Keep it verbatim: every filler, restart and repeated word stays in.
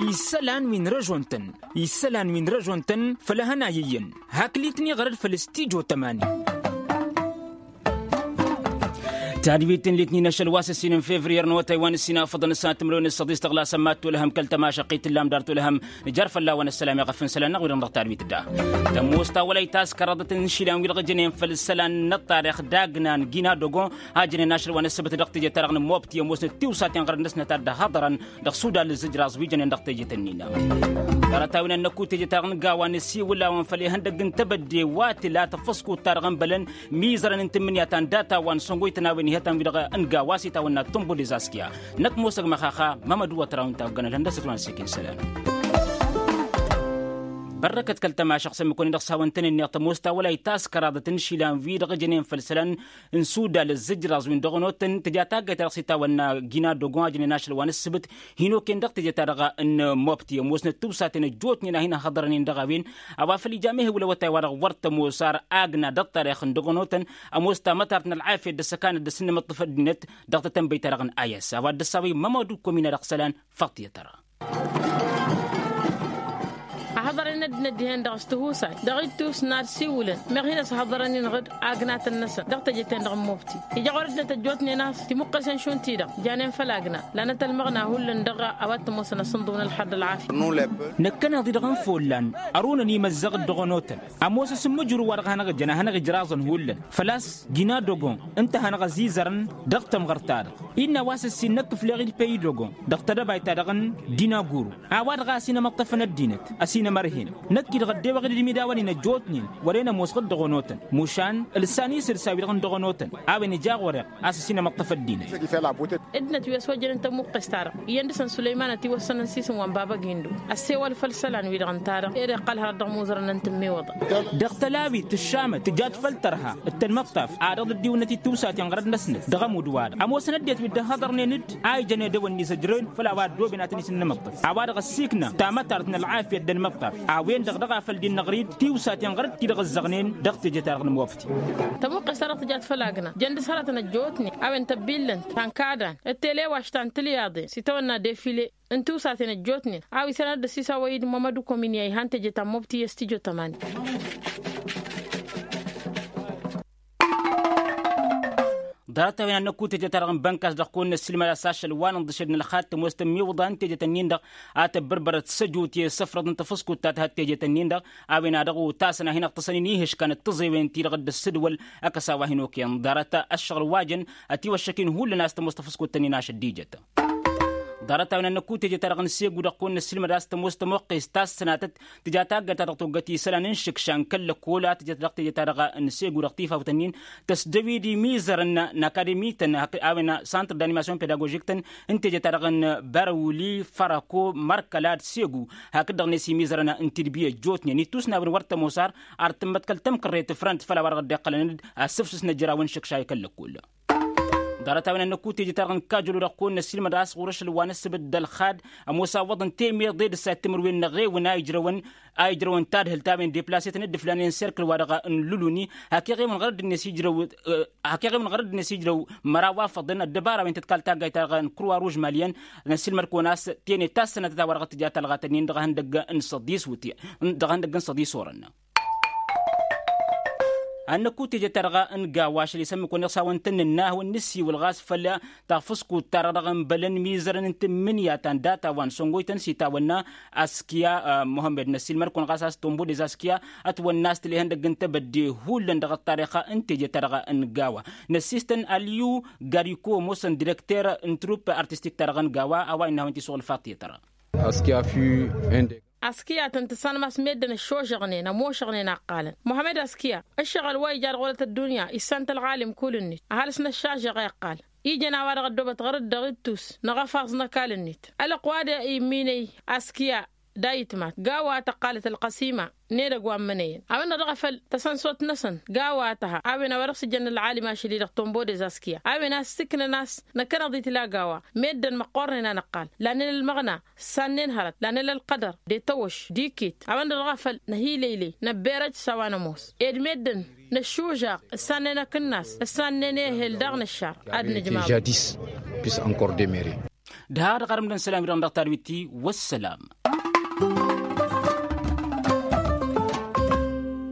Isălan wi n-răžon-tăn isălan wi n-răžon-tăn făll-ehăn a iyyăn. Haklit n-iɣrăd făll-stijo tămani. Tadwit n-litnin ašăl wa s-ǝssin n-fevriyer n-awătay wa n-ǝssin afăḍăn s-ad-timǝrwen s-săḍis tăɣla sămmat tolhăm kăl-tămašăqqit tǝllam dar tolhăm. Nǝjar fălla-wăn ăssălam i-ɣăf n-isălan-năɣ wi-dăɣ dăɣ-tadwit da. Tămoos ta wăla itas kăraḍăt n-išilan wi-dăɣ ǝjănen făll-isălan n-ăṭṭarix d-agna n-gina dogon. A ǝjănen ašăl wa n-ǝssǝbǝt dăɣ-teje-ta-dăɣ n-mobti ămoosnăt tiwsaten ɣărăt-năsnăt ad-dd-ăhhăḍărăn dăɣ-sudal ǝzzǝjraẓ wi jănen dăɣ-tejet-ǝnnin. Ḍarăt-a-wen ad-năkku tejet-ta-dăɣ n-gawa nǝsiwǝl-awăn făll-ihăndăgg n-tebădde wa tǝla tafăskut-ta-dăɣ n-bălăn mizărăn n-tǝmmǝnǝya ta n-data wa n-săngoytăn a-wen ihătăn-wi-dăɣ n-gawa s-itawănna tumbu dezaskiya. Năkk mosăg măxaxa mămădu wa tăraw n-tawăggan ălhăndăsăt wa n-sikin isălan. Bărrăkăt kăl-tămašăɣ s-ămmǝk-wăn-i-dăɣ s-hawăn-tăn ǝnneɣ tămoos ta wăla itas kăraḍăt n-išilan wi-dăɣ ǝjănen făll-isălan n-sudal ǝzzǝjraẓ wi n-dăɣ-onotăn tǝja taggayt-ta-dăɣ s-itawănna gina dogon a ǝjănen ašăl wa n-ǝssǝbǝt. Hin-okăyăn dăɣ-teje-ta-dăɣ n-mobti ămoosnăt tiwsaten ăjjootnen a hin-ăhhăḍărănen dăɣ-a-wen. A-wa făl ija mehewǝl awătay wa-dăɣ wăr tămoos ar agna d-ăṭṭarix n-dăɣ-onotăn. Ămoos tamătart n-ălɣafyăt d-ăssăkanăt d-asǝnnǝmǝṭṭǝf ăddinăt dăɣ-tetănbăyt-ta-dăɣ n-ayas a-wa dd-ăssawăy mămădu komina dăɣ-isălan. Făṭṭiyăt-ra. Ăhhăḍărăn ăddinăt dihen-dăɣ s-tihusay dăɣ-ittus n-ad-siwǝlăn meɣ hin-ăshăḍărăn-in ɣǝd agnatăn-năsăn dăɣ-teje-ten-dăɣ n-mobti. Ija ɣur-ăddinăt ăjjootnen a-s timuqqesen šund-ti-dăɣ janen făll-agna. Lanăt ălmăɣna hullan dăɣ-a-wa t-ămoosăn asǝnḍǝw n-ălxer d-ălɣafya. Năkkăneḍ-i-dăɣ n-follan ărunăn imăzzăɣ-dd dăɣ-onotăn. Ămoos asǝmmǝjru wa dăɣ-hanăɣ-ǝjăn ad-hanăɣ-ijraẓăn hullan făl-a-s gina dogon ǝnta a hanăɣ-ăzizărăn dăɣ-tămɣărt-ta-dăɣ. Innă a-wa s-ǝssin năkk ǝfleɣ-dd păy dogon dăɣ-tedăbayt-ta-dăɣ n-dina guru. A-wa-dăɣ a ăsinămăṭṭăfăn ăddinăt ăsinămărhen. Năkk-i-dăɣ ăddewăɣ-dd imidawăn-in ăjjootnen wăren ămoos ɣǝd dăɣ-onotăn mušan ǝlsan isǝlsa-wi-dăɣ n-dăɣ-onotăn. A-wen ija ɣur-eɣ a-s ăsinămăṭṭăf ăddinăt. Ǝddinăt wi ăswăjjănen tămuqqest-ta-dăɣ iyyăn dăɣ-săn sulăyman ătiwăssănăn s-isǝm wa n-baba gindo. Ăssewăl făll-isălan-wi-dăɣ ǝnta-dăɣ ed iqqăl hărăt dăɣ-imuzărăn n-tǝmmiwǝḍăn. Dăɣ-tălawit tǝššamăt tǝjat făll-tărha d-tănmăṭṭaf ad-dăɣ-dd-iwǝnnăt i-tiwsaten ɣărăt-năsnăt dăɣ-ămudd-wa-dăɣ ămoosăn ăddinăt wi dd-ăhhăḍărnen-dd a ijăn edăwănni s-ăjrăwen făll-a-wa ăddooben ad-tăn-isǝnnǝmăṭṭăf. A-wa-dăɣ ăssiikna tamătart n-ălɣafyăt d-ănmăṭṭaf a-wen-dăɣ dăɣ-a făl dd-innăɣrid tiwsaten ɣărăt-ti-dăɣ ǝzzăɣnen dăɣ-teje-ta-dăɣ n-mobti. Tămuqqes-ta-dăɣ tǝjat făll-agna jăn dăr-s hărătăn ăjjootnen a-wen tăbbillăn ta n-kadan d-telewaš ta n-tilyaḍen s-itawănna defile n-tiwsaten ăjjootnen a-wa isălan ad-dd-ăsisawăy-dd mămădu komini a ihan teje ta n-mobti i-ăstijo tămani. Ḍarăt-a-wen ad-năkku teje-ta-dăɣ n-bănkas dăɣ-kăwăn-năssiilmăd a-s ašăl wa n-inḍǝšed n-ălxad tămoos tămmiwǝḍa n-tejet-ǝnnin-dăɣ a tăbbărbărăt s-ăjut i-isǝfrăḍ n-tafǝskut ta tǝhăt tejet-ǝnnin-dăɣ. A-wen a dăɣ-otasăn a hin-ăɣtăsăn-in ihǝškan d-tiẓewen-ti-dăɣ dd-ăssǝdwăl. Ăkăs a-wa hin-okăyăn ḍarăt ăššăɣǝl wa jăn ătiwăššăk-in hullan a-s tămoos tafǝskut-tăn-in ašăl d-ijăt. Ḍarăt-a-wen ad-năkku teje-ta-dăɣ n-segu dăɣ-kăwăn-năssiilmăd a-s tămoos tămoqqest ta s-sănatăt tǝja taggayt ta dăɣ-toggăt isălan n-išǝkša n-kăl-lăkkol a tǝjăt dăɣ-teje-ta-dăɣ n-segu dăɣ-tifawt-ǝnnin tăsdăwid imizărăn n-akademi-tăn a-wen santr d-animasyon pedagožik-tăn n-teje-ta-dăɣ n-bărăwli fărăko mărkăla d-segu. Hakd-dăɣ-net imizărăn n-tidbi ăjjootnen ittus n-a-wen wăr tămoos ar ar tǝmmăt kăl-tămkărret frănt făll-a-wa dăɣ-dd-iqqălăn-dd asǝfsǝs n-ăjraw n-išǝkša i-kăl-lăkkol. Ḍarăt-a-wen ad-năkku teje-ta-dăɣ n-kajălo dăɣ-kăwăn-năssiilmăd a-s ɣur-ašăl wa n-ǝssǝbǝt d-ălxad ămoos awwăḍăn temeḍe d-ǝssa timǝrwen n-eɣewăn a ijrăwăn a ijrăwăn tadhǝlt a-wen deplasetăn dd-ǝflanen serkǝl-wa-dăɣ n-luluni. Hak eɣewăn ɣărădd-net ijrăw hak eɣewăn ɣărădd-net ijrăw măraw afăḍăn ăddăbara-wen tăt-kal taggayt-ta-dăɣ n-kurwa ruž maliyăn. Năssiilmăd-kăwăn a-s tene ta s-sănatăt a-wa dăɣ-tǝja talɣa-tăn-in dăɣ-ihăndăgg n-săḍis wǝtyan dăɣ-ihăndăgg n-săḍis orăn. Ad-năkku teje-ta-dăɣ n-gawa ašăl isămmǝk-wăn iɣsawăn tăn-nǝnna a hawăn-nǝssiwǝl ɣas făll-tafǝskut-ta-dăɣ dăɣ-ănbălăn mizărăn n-tǝmmǝnǝya ta n-data wa n-săngoytăn s-itawănna askiya. Muhămmed năssiilmăd-kăwăn ɣas a-s tombo dez askiya ătwănna a-s tǝla ihăndăgg n-tebădde hullan dăɣ-ăṭṭarix n-teje-ta-dăɣ n-gawa. Năssiistăn alyu gariko ămoosăn direkter n-trupp artistik-ta-dăɣ n-gawa a-wa innă a hawăn-t-isuɣǝl faṭṭiyăt-ra. Askiya tăn-tǝssanăm a-s meddǝn ăššožăɣnen ămošăɣnen a ǝqqalăn muhămed askiya. Ǝššăɣǝl wa ija dăɣ-olăt ăddunya issan-t ălɣalim kull-net ăhalǝs n-ăššažăɣ a iqqal ijăn a-wa-dăɣ ăddoobăt ɣăr-dd dăɣ-ittus n-aɣăfaẓ n-ăkall-net. Ălwăqq wa d-imminăy askiya d-ayǝtmat gawa tăqqalăt ălqăsima n-edăgg wa n-imǝnăyăn a-wen-dăɣ dăɣ-afăl tăsănsot-năsăn gawa tăha a-wen a-wa dăɣ-s ǝjăn ălɣalim ašăl-i-dăɣ tombo dez askiya a-wen a-s s-ǝknăn a-s năkkăneḍ-i tǝla gawa. Meddǝn măqqornen a năqqal lanen ălmăɣna ǝssannen hărăt lanen ălqădăr d-etăwăš d-iket a-wen-dăɣ dăɣ-afăl năhilăylăy năbberăj s-a-wa nămoos ed meddǝn năššužaɣ ǝssannen akǝnnas ǝssannen ehel daɣ n-ăššar. Ad-nǝjmaḍ. Jadis pis ankor demere. Dăɣ-dăɣ arǝmdăn isălan-wi-dăɣ dăɣ-tadwit-ti. Wăssălam.